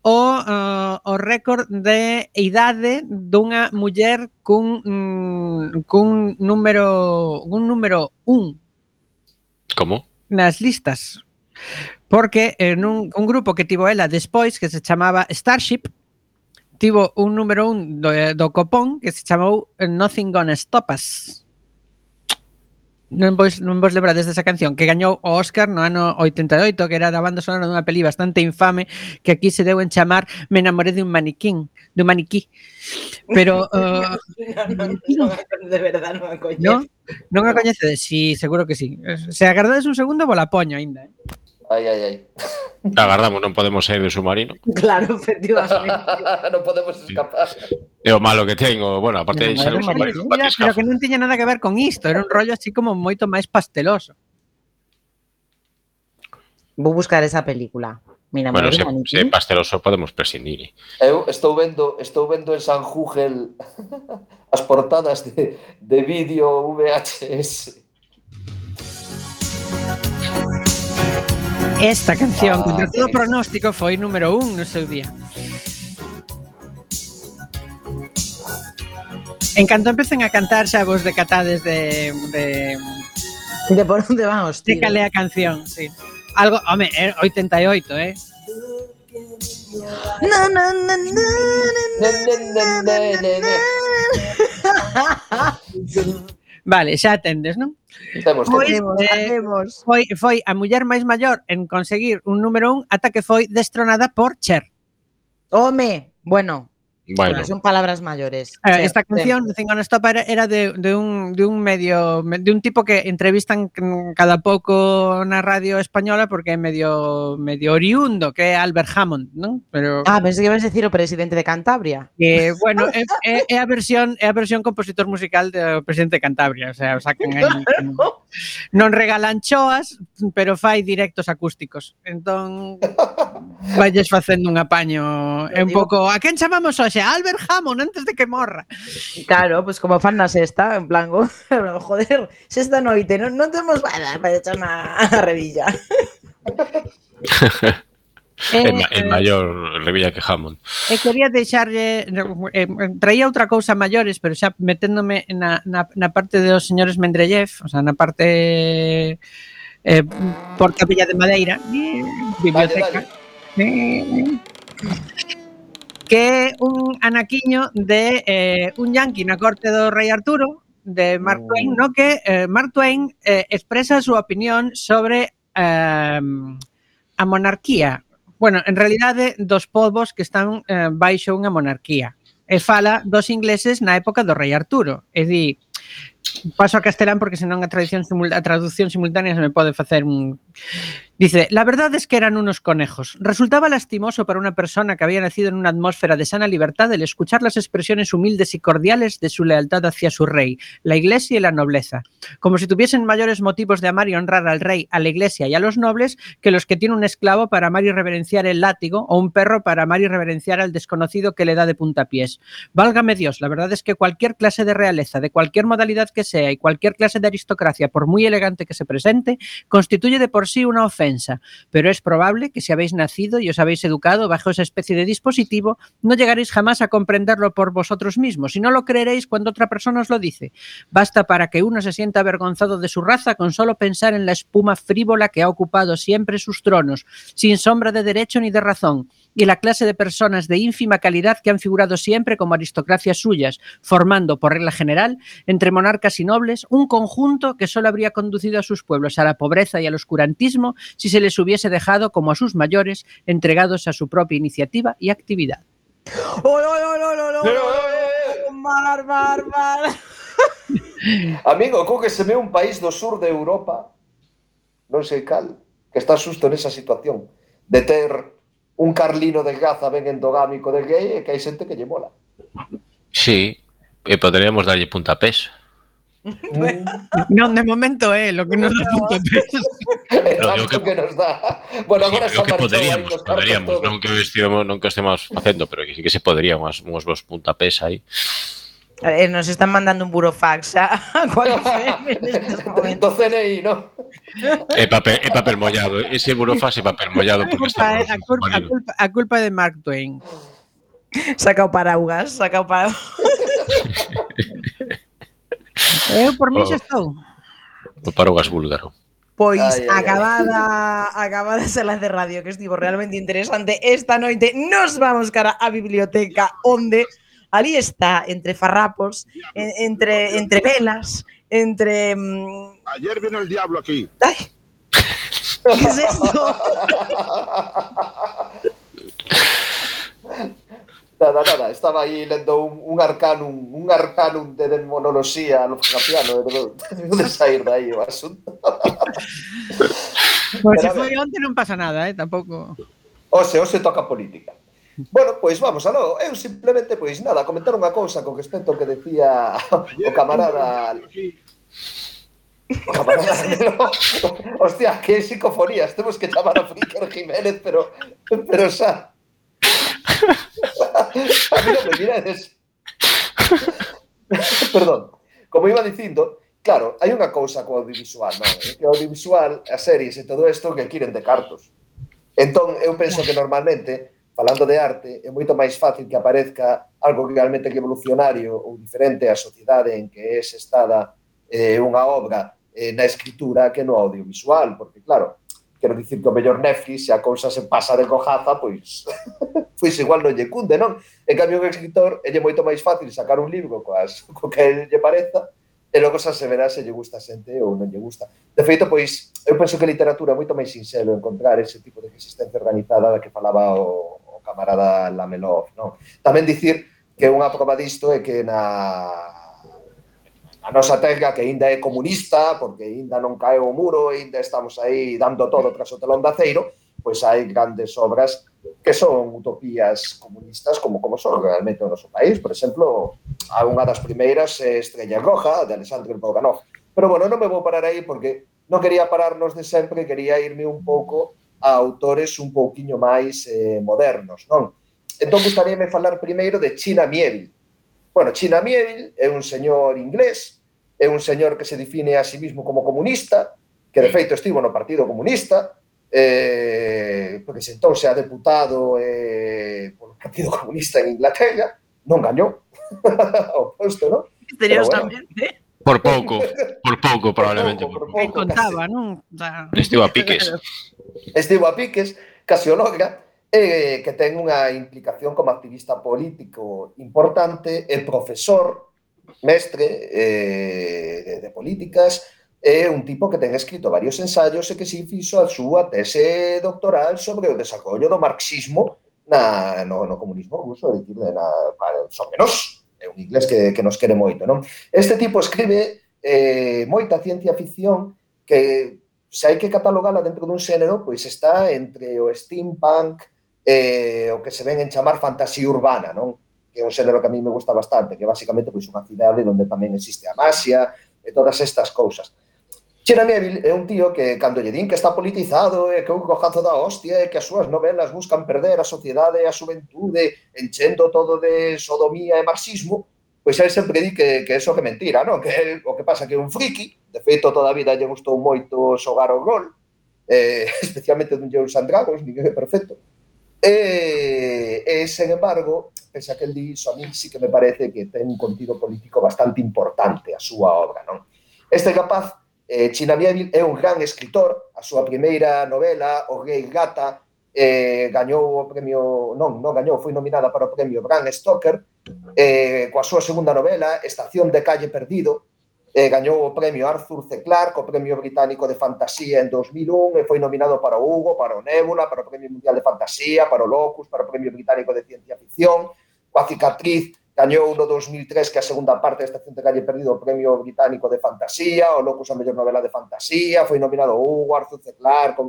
o récord de idade dunha muller cun número 1. Como? Nas listas. Porque un grupo que tivo ela despois, que se chamaba Starship, tivo un número 1 do copón que se chamou Nothing Gonna Stop Us. Non vos lembrades desa canción que gañou o Óscar no ano 88, que era da banda sonora dunha peli bastante infame que aquí se deu en chamar Me enamoré de un maniquí. Pero de verdade non a coñezo. Non a coñecedes? Sí, seguro que sí. Se agardades un segundo, vos la poño aínda. Ai. Agardamos, non podemos sair do submarino. Claro, efectivamente. Non podemos escapar. É o malo que tengo, bueno, aparte de ser un submarino. Pero que non tiña nada que ver con isto, era un rollo así como moito máis pasteloso. Vou buscar esa película. Mira, bueno, se pasteloso podemos prescindir. Eu estou vendo en San Júgel as portadas de vídeo VHS. Esta canción, contra todo pronóstico, foi número 1 no seu día. En canto empecen a cantar, xa vos decatades de por onde van os tiros. De cal é a canción, sí. Algo, home, 88, Vale, xa atendes, non? Temos. Foi a muller máis maior en conseguir un número 1 ata que foi destronada por Cher. Home, bueno, Bueno. Son palabras mayores. Esta canción, Cinco Non Stop, era de un tipo que entrevistan cada pouco na radio española porque é medio oriundo, que é Albert Hammond, non? Pero pensei que ibas a decir o presidente de Cantabria. Bueno, é a versión compositor musical do presidente de Cantabria, o sea, sacan aí, non regalan choas, pero fai directos acústicos. Entón valles facendo un apaño, é un pouco, a quen chamamos hoxe? Albert Hammond antes de que morra. Claro, pues como fan na sexta, en plan, joder, sexta noite, non temos nada para echar a revilla. É maior revilla que Hammond. Quería deixarlle, traía outra cousa maiores, pero xa meténdome na parte dos señores Mendeleev, o sea, na parte por Capilla de Madeira, biblioteca. Que é un anaquiño de un yanqui na corte do rei Arturo, de Mark Twain, no que Mark Twain expresa a súa opinión sobre a monarquía. Bueno, en realidade, dos povos que están baixo unha monarquía. E fala dos ingleses na época do rei Arturo. É dicir, paso a castelán porque senón a traducción simultánea se me pode facer un... Dice, la verdad es que eran unos conejos. Resultaba lastimoso para una persona que había nacido en una atmósfera de sana libertad el escuchar las expresiones humildes y cordiales de su lealtad hacia su rey, la iglesia y la nobleza. Como si tuviesen mayores motivos de amar y honrar al rey, a la iglesia y a los nobles que los que tiene un esclavo para amar y reverenciar el látigo o un perro para amar y reverenciar al desconocido que le da de puntapiés. Válgame Dios, la verdad es que cualquier clase de realeza, de cualquier modalidad que sea y cualquier clase de aristocracia, por muy elegante que se presente, constituye de por sí una ofensa. Pero es probable que si habéis nacido y os habéis educado bajo esa especie de dispositivo, no llegaréis jamás a comprenderlo por vosotros mismos y no lo creeréis cuando otra persona os lo dice. Basta para que uno se sienta avergonzado de su raza con solo pensar en la espuma frívola que ha ocupado siempre sus tronos, sin sombra de derecho ni de razón, y la clase de personas de ínfima calidad que han figurado siempre como aristocracias suyas, formando, por regla general, entre monarcas y nobles, un conjunto que solo habría conducido a sus pueblos a la pobreza y al oscurantismo si se les hubiese dejado, como a sus mayores, entregados a su propia iniciativa y actividad. Mar. Amigo, co que se ve un país do sur de Europa, non sei cal, que está xusto nesa situación de ter un Carlino de Gaza ben endogámico de gay e que hai xente que lle mola. Sí, poderíamos darlle puntapés. Non, de momento é lo que nos dá puntapés. Que nos dá. Bueno, agora sí, que poderíamos, non que o estemos facendo, pero que sí que se poderían uns vos puntapés aí. Nos están mandando un burofax a do CNI, ¿no? É papel mollado, ese burofax é papel mollado porque está a culpa de Mark Twain. Saca o paraugas. Eu por mí xa estou. O paraugas búlgaro. Pois acabada esa enlace de radio que estivo realmente interesante esta noite, nos vamos cara á biblioteca onde ali está, entre farrapos, entre velas, entre... Ayer vino el diablo aquí. ¡Ay! ¿Qué es esto? Nada, estaba aí lendo un arcanum de demonoloxía no Fapiano, de sair dai o asunto. Pois se foi onte non pasa nada, tampouco. Hoxe toca política. Bueno, pois vamos aló. Eu simplemente, pois nada, comentar unha cousa con respecto ao que decía o camarada... Hostia, que psicofonías. Temos que chamar a Fricker Jiménez, pero xa... A mí non me mirades. Perdón. Como iba dicindo, claro, hai unha cousa co audiovisual, non? Que o audiovisual, as series e todo isto que quieren de cartos. Entón, eu penso que normalmente... Falando de arte, é moito máis fácil que aparezca algo que realmente é evolucionario ou diferente á sociedade en que é estada unha obra na escritura que no audiovisual, porque claro, quero dicir que o mellor Netflix, se a cousa se pasa de cojaza, pois igual non lle cunde, non? En cambio, o escritor é moito máis fácil sacar un libro co que lle pareza e logo xa se verá se lle gusta a xente ou non lle gusta. De feito, pois, eu penso que a literatura é moito máis sinxelo encontrar ese tipo de resistencia organizada da que falaba o camarada Lamelov, non? Tamén dicir que unha proba disto é que a nosa terra, que ainda é comunista, porque ainda non cae o muro, ainda estamos aí dando todo tras o telón de aceiro, pois hai grandes obras que son utopías comunistas como son realmente o noso país. Por exemplo, unha das primeiras é Estrella Roja, de Alexandre Bogdanov. Pero, bueno, non me vou parar aí porque non quería pararnos de sempre, quería irme un pouco a autores un pouquiño máis modernos, non? Entón, gustaríame falar primeiro de China Miéville. Bueno, China Miéville é un señor inglés, é un señor que se define a sí mismo como comunista, que de feito estivo no Partido Comunista, presentouse a deputado polo Partido Comunista en Inglaterra, non gañou o posto, non? Misteriosamente. Por pouco, probablemente. Por pouco, contaba, non? Estivo a piques. Estivo a piques, casi o logra, que ten unha implicación como activista político importante, é profesor, mestre de políticas, é un tipo que ten escrito varios ensaios e que se fixo a súa tese doctoral sobre o desarrollo do marxismo no comunismo ruso, é dicir, sobre nós. É un inglés que nos quere moito, non? Este tipo escribe moita ciencia ficción que, se hai que catalogala dentro dun xénero, pois está entre o steampunk e o que se ven en chamar fantasía urbana, non? Que é un xénero que a mí me gusta bastante, que basicamente pois unha cidade onde tamén existe a magia e todas estas cousas. China Miéville é un tío que, cando lle din que está politizado e que é un cojazo da hostia e que as súas novelas buscan perder a sociedade e a xuventude enchendo todo de sodomía e marxismo, pois ele sempre di que é que mentira, non? Que o que pasa que é un friki, de feito toda a vida lle gustou moito xogar o rol, especialmente dun Dungeons and Dragons, ninguén é perfecto. Sen embargo, pese a que el di iso, a mí sí que me parece que ten un contido político bastante importante a súa obra, non? Este capaz, China Miéville, é un gran escritor. A súa primeira novela, O Rei Gata, gañou o premio, non gañou, foi nominada para o premio Bram Stoker. Coa súa segunda novela, Estación de Calle Perdido, gañou o premio Arthur C. Clarke, o premio británico de fantasía en 2001, e foi nominado para o Hugo, para o Nébula, para o premio mundial de fantasía, para o Locus, para o premio británico de ciencia ficción. Coa Cicatriz, gañou no 2003, que a segunda parte da Estación de Calle Perdido, o premio británico de fantasía, o Locus a mellor novela de fantasía, foi nominado o Hugo, Arthur C. Clarke,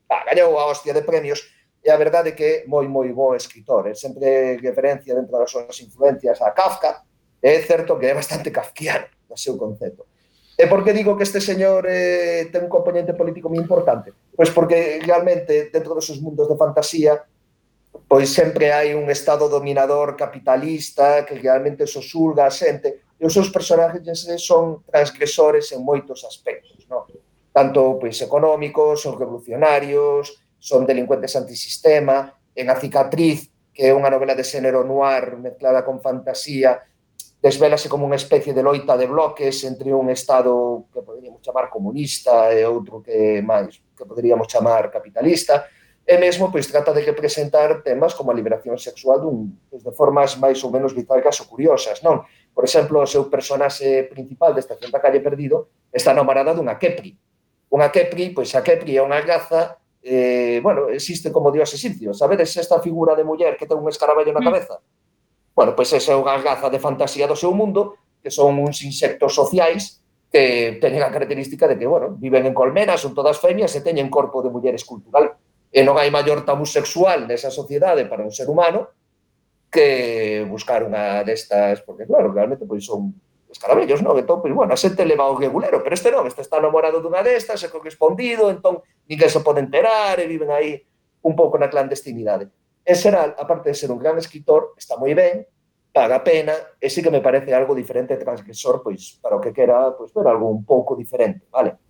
gañou a hostia de premios, e a verdade é que é moi bo escritor. É sempre referencia dentro das súas influencias a Kafka, e é certo que é bastante kafkiano no seu concepto. E por que digo que este señor ten un componente político moi importante? Pois porque realmente dentro dos seus mundos de fantasía pois sempre hai un estado dominador capitalista que realmente sosulga a xente, e os seus personaxes son transgresores en moitos aspectos, non? Tanto pois económicos, son revolucionarios, son delincuentes antisistema. En A Cicatriz, que é unha novela de xénero noir mezclada con fantasía, desvélase como unha especie de loita de bloques entre un estado que poderíamos chamar comunista e outro que máis que poderíamos chamar capitalista. E mesmo pois trata de representar temas como a liberación sexual de formas máis ou menos bizarras ou curiosas, non? Por exemplo, o seu personaxe principal de Estación da Calle Perdido está namorada dunha Kepri. Unha Kepri, pois a Kepri é unha raza, existe como dios egipcio. Sabedes esta figura de muller que ten un escaravello na cabeza? Bueno, pois esa é unha raza de fantasía do seu mundo, que son uns insectos sociais que teñen a característica de que, viven en colmenas, son todas femias e teñen corpo de muller escultural. E non hai maior tabú sexual nesa sociedade para un ser humano que buscar unha destas, porque claro, realmente pois son escarabellos, non? Entón, pois, a xente leva o regulero, pero este non, este está namorado dunha destas, é correspondido, entón ninguén se pode enterar e viven aí un pouco na clandestinidade. En xeral, aparte de ser un gran escritor, está moi ben, paga a pena, e sí que me parece algo diferente e transgresor, pois, para o que quera, pois, ver algo un pouco diferente, vale?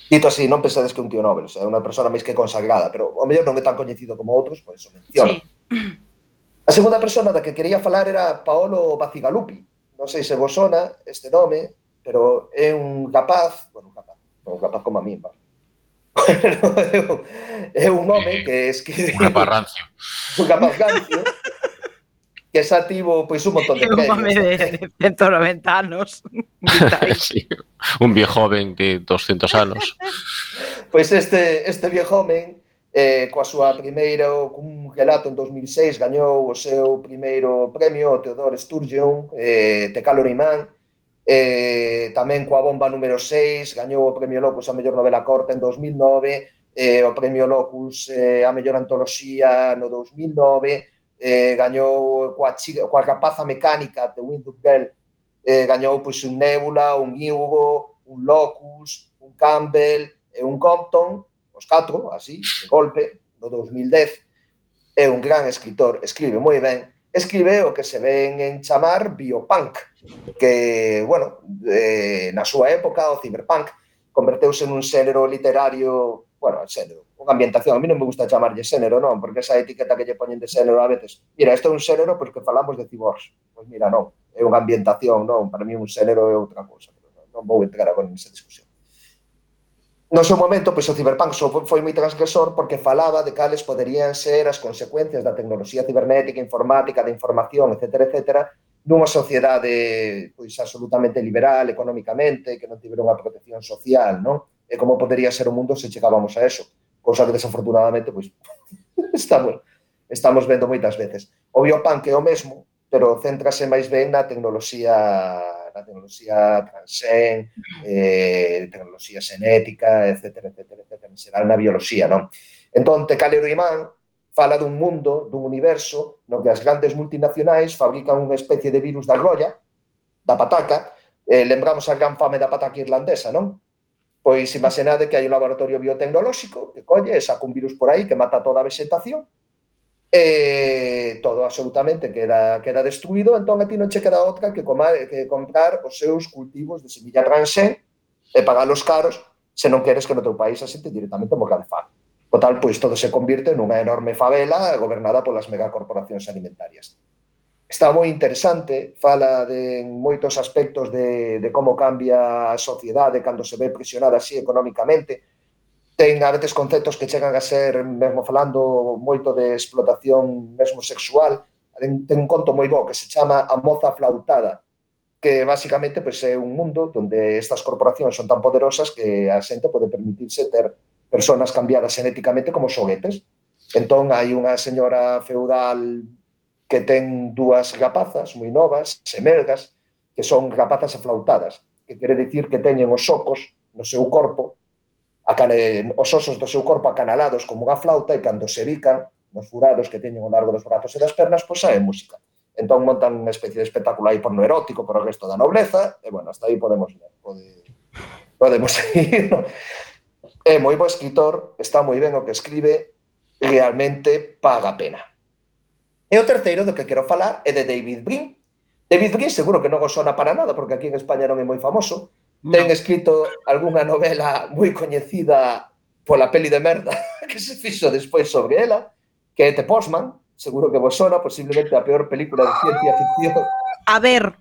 Dito así, non pensades que un tío Nobel, é unha persona máis que consagrada, pero ao mellor non é tan coñecido como outros, por eso menciono. Sí. A segunda persona da que quería falar era Paolo Bacigalupi. Non sei se vos sona este nome, pero é un rapaz, un rapaz como a mí, é un home que escribe... Un rapaz rancio. Un rapaz rancio, que xa tivo pois, un montón de premios. Un home de 190 anos. Sí, un viejo joven de 200 anos. Pois este viejo joven coa súa primeira, cun relato en 2006, gañou o seu primeiro premio, o Theodore Sturgeon, The Calorie Man. Tamén coa Bomba número 6, gañou o premio Locus a mellor novela corta en 2009, o premio Locus a mellor antoloxía no 2009, gañou coa Rapaza Mecánica, The Wind Up Girl, gañou pois un Nebula, un Hugo, un Locus, un Campbell e un Compton, os 4, así, de golpe, no 2010. É un gran escritor, escribe moi ben, escribe o que se ven en chamar biopunk, que, bueno, na súa época, o cyberpunk, converteuse nun xénero literario, bueno, xénero, unha ambientación, a mí non me gusta chamarlle xénero, non, porque esa etiqueta que lle poñen de xénero a veces, mira, isto é un xénero porque falamos de ciborgs, pois mira, non, é unha ambientación, non, para mí un xénero é outra cousa, non vou entrar agora nesa discusión. No seu momento, pois o cyberpunk foi moi transgresor porque falaba de cales poderían ser as consecuencias da tecnoloxía cibernética, informática, da información, etc., nunha sociedade pois absolutamente liberal económicamente, que non tivera unha protección social, non? E como podería ser o mundo se chegábamos a eso, cousa que desafortunadamente pois estamos vendo moitas veces. O biopunk é o mesmo, pero céntrase máis ben na tecnoloxía transxen, tecnoloxía xenética, etc., en xeral na bioloxía, non? Entón, The Calorie Man fala dun mundo, dun universo, no que as grandes multinacionais fabrican unha especie de virus da grolla, da pataca, lembramos a gran fame da pataca irlandesa, non? Pois imaginade que hai un laboratorio biotecnolóxico que colle e saca un virus por aí que mata toda a vegetación, todo absolutamente queda destruído, entón a ti non che queda outra que comprar os seus cultivos de semilla transxen e pagalos caros se non queres que no teu país a xente directamente morra de fame. Total, pois todo se convirte nunha enorme favela gobernada polas megacorporacións alimentarias. Está moi interesante, fala de moitos aspectos de como cambia a sociedade cando se ve presionada así económicamente. Ten a veces conceptos que chegan a ser, mesmo falando moito de explotación mesmo sexual. Ten un conto moi bo que se chama A Moza Flautada, que basicamente pois, é un mundo onde estas corporacións son tan poderosas que a xente pode permitirse ter personas cambiadas genéticamente como xoguetes. Entón, hai unha señora feudal que ten dúas rapazas moi novas, semelgas, que son rapazas aflautadas, que quere dicir que teñen os socos no seu corpo, os osos do seu corpo acanalados como unha flauta e cando se bican nos furados que teñen ao largo dos brazos e das pernas, pois sae música. Entón montan unha especie de espectáculo aí porno erótico para o resto da nobleza e, bueno, hasta aí podemos seguir. É moi bo escritor, está moi ben o que escribe, realmente paga a pena. E o terceiro do que quero falar é de David Brin. David Brin seguro que non os sona para nada porque aquí en España non é moi famoso. Ten escrito algunha novela moi coñecida pola peli de merda que se fixo despois sobre ela, que é The Postman, seguro que vos sona, posiblemente a peor película de ciencia ficción. A ver,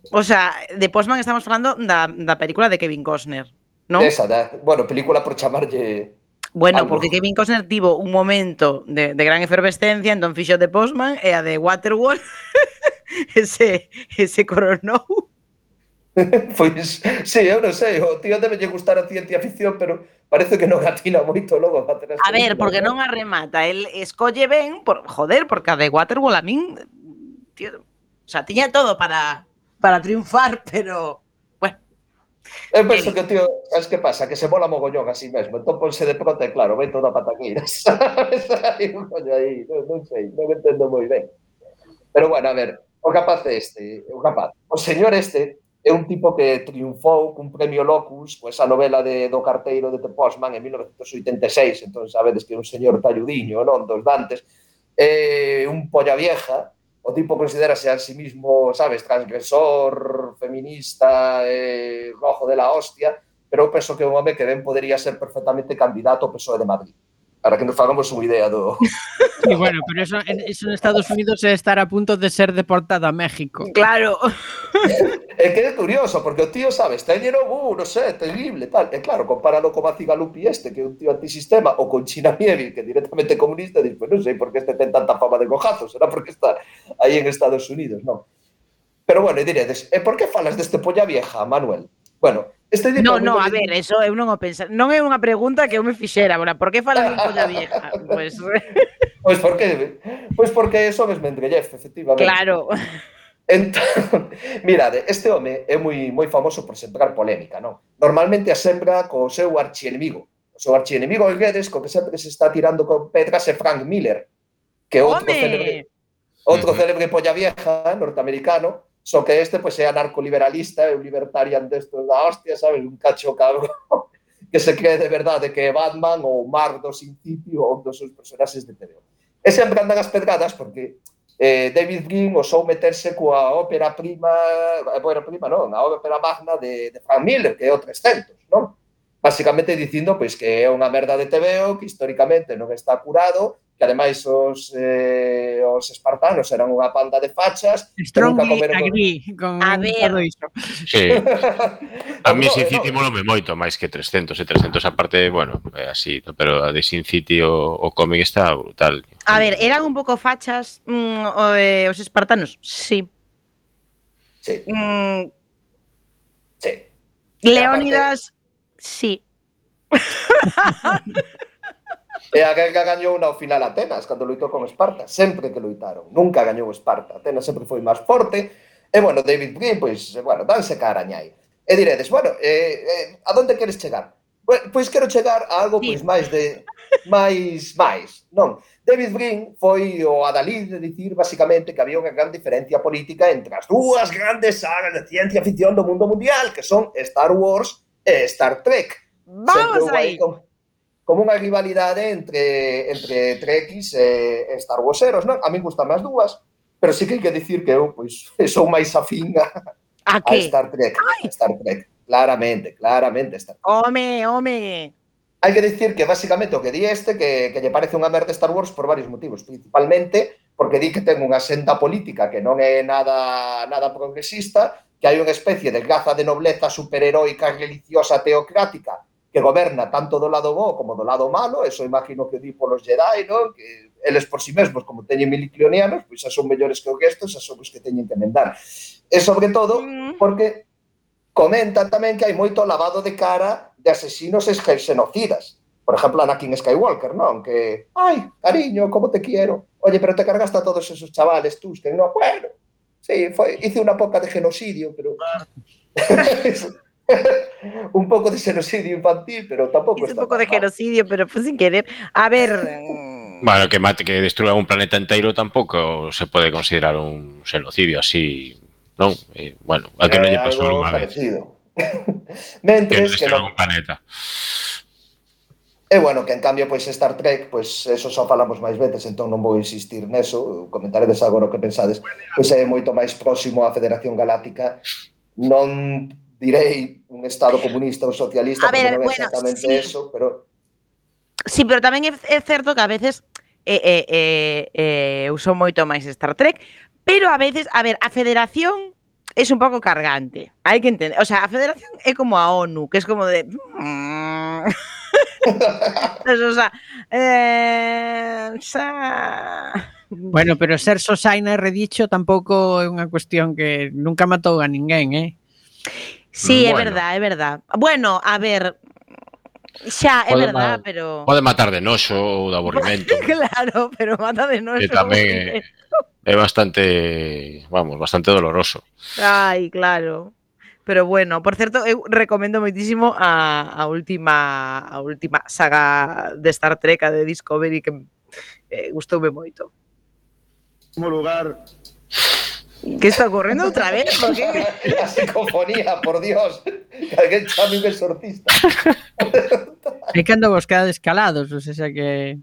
o sea, The Postman estamos falando da película de Kevin Costner, non? Esa, bueno, película por chamarlle... Bueno, porque Kevin Costner tivo un momento de gran efervescencia, entón fixo The Postman e a de Waterworld ese coronou. Pois, sí, eu non sei, o tío debe lle gustar a ciencia ficción, pero parece que non atina moito logo. A ver, porque non a remata, el escolle ben, porque a de Waterworld a min, tío, o sea, tiña todo para triunfar, pero, bueno. Eu penso que o tío, sabes que pasa? Que se mola mogollón así mesmo, entón ponse de pronto e claro, ven toda a pataqueira, sabes? Hai un coño aí, non sei, non entendo moi ben. Pero bueno, a ver, o señor este, é un tipo que triunfou cun premio Locus, con esa novela do carteiro de The Postman en 1986, entón sabedes que é un señor talludiño, non, dos Dantes, un polla vieja, o tipo considerase a sí mismo, sabes, transgresor, feminista, rojo de la hostia, pero eu penso que é un home que ben podería ser perfectamente candidato ao PSOE de Madrid. Para que nos fagamos unha idea do... Sí, bueno, pero eso en Estados Unidos é estar a punto de ser deportado a México. Claro. É que é curioso, porque o tío, sabes, teñero, non sei, terrible, tal. E claro, compáralo con Macigalupi que é un tío antisistema, ou con China Mieville, que é directamente comunista, e dices, non sei por que este ten tanta fama de cojazo, será porque está aí en Estados Unidos, non? Pero bueno, e diredes, por que falas deste polla vieja, Manuel? Bueno, No, a ver, eso eu non o pensar. Non é unha pregunta que eu me fixera, por que falas un polla vieja? Pois porque son esmendrellez, efectivamente. Claro. Entón, mirade, este home é moi famoso por sembrar polémica, non? Normalmente a sembra co seu archienemigo. O seu archienemigo Guedes, co que sempre se está tirando con pedras é Frank Miller, que é outro célebre polla vieja norteamericano. Só que este, pois, é anarcoliberalista, é un libertarian destos da hostia, sabes? Un cacho cabrón que se cree de verdade que é Batman ou Mark do Sin City ou un dos seus personaxes de TVO. E sempre andan as pedradas porque David Brin osou meterse coa ópera prima, a ópera magna de Frank Miller, que é o 300, non? Básicamente dicindo pois, que é unha merda de TVO, que históricamente non está curado, que ademais os espartanos eran unha panda de fachas. Strongly agree con todo iso. Sí. A mí Sin City molome moito máis que 300, e 300 aparte, bueno, así, pero a de Sin City o cómic está brutal. A ver, eran un pouco fachas os espartanos? Sí. Sí. Sí. Leónidas, sí. E a guerra gañou ao final Atenas, cando loitou con Esparta, sempre que loitaron. Nunca gañou Esparta, Atenas sempre foi máis forte. E, bueno, David Brin, pois, bueno, danse cara añai. E diredes, bueno, a donde queres chegar? Pois quero chegar a algo, pois, máis, non? David Brin foi o adalid de dicir, basicamente, que había unha gran diferencia política entre as dúas grandes sagas de ciencia ficción do mundo mundial, que son Star Wars e Star Trek. Vamos aí! Como unha rivalidade entre Trekkies e Star Warseros, non? A min gustan as dúas, pero sí que hai que dicir que eu, pois, sou máis afín a Star Trek. Claramente Star Trek. Home! Hai que dicir que, basicamente, o que di que lle parece unha merda Star Wars por varios motivos, principalmente porque di que ten unha senda política que non é nada progresista, que hai unha especie de raza de nobleza superheroica, religiosa, teocrática, que goberna tanto do lado bo como do lado malo. Eso imagino que di polos Jedi, non? Que eles por si mesmos, como teñen miliclonianos, pois xa son mellores que o gestos, xa son os que teñen que mendar. E sobre todo, porque comentan tamén que hai moito lavado de cara de asesinos e xenocidas. Por exemplo, Anakin Skywalker, non? Que, ai, cariño, como te quiero. Oye, pero te cargaste a todos esos chavales, tú, que no, bueno, sí, hice unha poca de genocidio, pero... un pouco de xenocidio infantil, pero tampouco está. Un pouco de genocidio, pero pues sin querer. A ver... Bueno, que destruya un planeta inteiro tampouco se pode considerar un xenocidio así, non? Bueno, a que non lle pasou unha vez. Mentres que non un planeta. E bueno, que en cambio, pois Star Trek, pois eso só falamos máis veces, entón non vou insistir neso, comentaredes agora o que pensades, pois é moito máis próximo á Federación Galáctica, non direi un estado comunista ou socialista, porque non é exactamente eso, pero... Sí, pero tamén é certo que a veces uso moito máis Star Trek, pero a veces, a ver, a Federación é un pouco cargante, hai que entender, o sea, a Federación é como a ONU, que é como de... o sea... Bueno, pero ser Sosaina e redicho tampouco é unha cuestión que nunca matou a ninguén, Sí, bueno. É verdad. Bueno, a ver, xa, é verdad, pero... Pode matar de noxo ou de aburrimento. Claro, pero mata de noxo. Que tamén é bastante, bastante doloroso. Ai, claro. Pero bueno, por certo, eu recomendo moitísimo a última saga de Star Trek, a de Discovery, que gustoume moito. Como lugar... ¿Qué está ocurriendo otra vez? ¿Por qué? La psicofonía, por Dios. Que alguén chame un exorcista. É que ando buscando escalados, o sea que...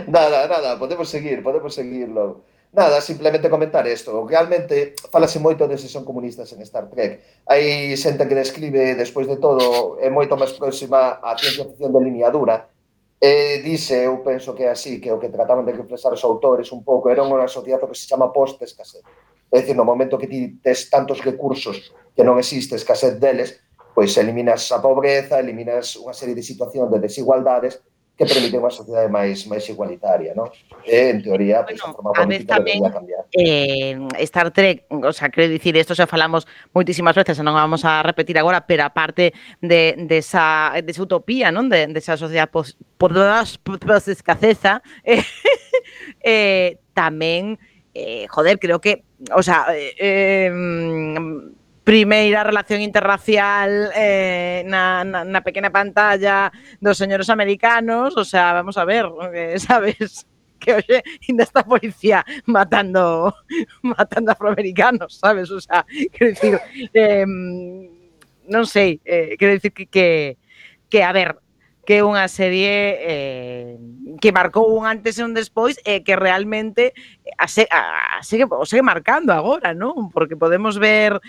Nada, podemos seguirlo. Nada, simplemente comentar isto. Realmente, falase moito de se son comunistas en Star Trek. Hai xente que describe, despois de todo, é moito máis próxima á ciencia ficción de liña dura. Dice, eu penso que é así, que o que trataban de reflexar os autores un pouco, era unha sociedade que se chama post-escasez. É dicir, no momento que ti tes tantos recursos que non existe escasez deles, pois eliminas a pobreza, eliminas unha serie de situacións de desigualdades que permite unha sociedade máis igualitaria, non? E, en teoría, pues, a forma política debería cambiar. Star Trek, o sea, quero dicir, isto xa falamos moitísimas veces, non vamos a repetir agora, pero aparte de esa utopía, non? De esa sociedade post-escaseza, tamén, joder, creo que, o sea, primeira relación interracial na pequena pantalla dos señores americanos, o sea, vamos a ver, sabes, que hoxe ainda está a policía matando afroamericanos, sabes, o sea, quero dicir, non sei, quero dicir que a ver, que é unha serie que marcou un antes e un despois e que realmente segue marcando agora, non? Porque podemos ver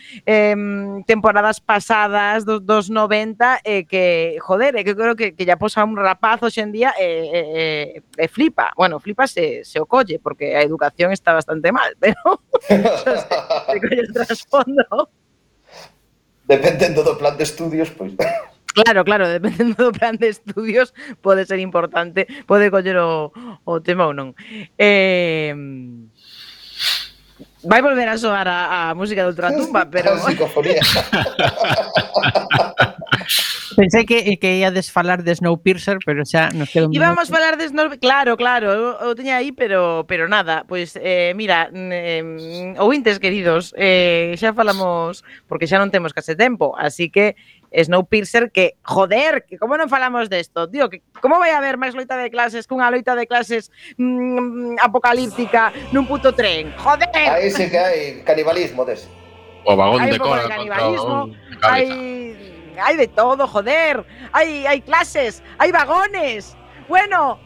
temporadas pasadas dos 90 que, joder, que creo que ya posa un rapaz hoxe en día e flipa. Bueno, flipa se o colle, porque a educación está bastante mal, pero se colle o trasfondo. Dependendo do plan de estudios, pois... Claro, dependendo do plan de estudios pode ser importante, pode coller o tema ou non. Vai volver a soar a música de Ultratumba, pero... Psicofonía. Pensei que iades falar de Snowpiercer, pero xa nos queda un minuto. Íbamos falar de Snowpiercer, claro, eu teña aí, pero nada, pois mira, ouvintes queridos, xa falamos, porque xa non temos case tempo, así que Snowpiercer, que, joder, que como non falamos desto, tío, que como vai haber máis loita de clases que unha loita de clases apocalíptica nun puto tren, joder. Aí sí que hai canibalismo dese. O vagón de cola contra o vagón de cabeza. Hai de todo, joder. Hai clases, hai vagones. Bueno,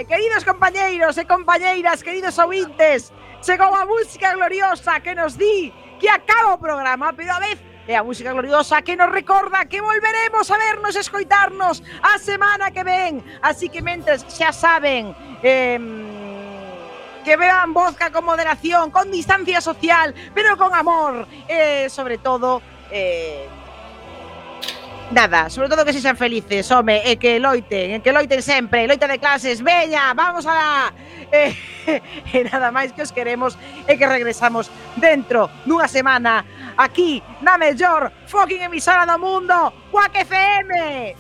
queridos compañeiros e compañeiras, queridos ouvintes, chegou a música gloriosa que nos di que acaba o programa, pero a vez é a música gloriosa que nos recorda que volveremos a vernos e escoitarnos a semana que ven. Así que mentres xa saben, que beban vodka con moderación, con distancia social, pero con amor, sobre todo, nada, sobre todo que sexan felices, home, e que loiten sempre, loita de clases, veña, vamos alá. E nada máis que os queremos e que regresamos dentro dunha semana aquí na mellor fucking emisora do mundo, Quack FM.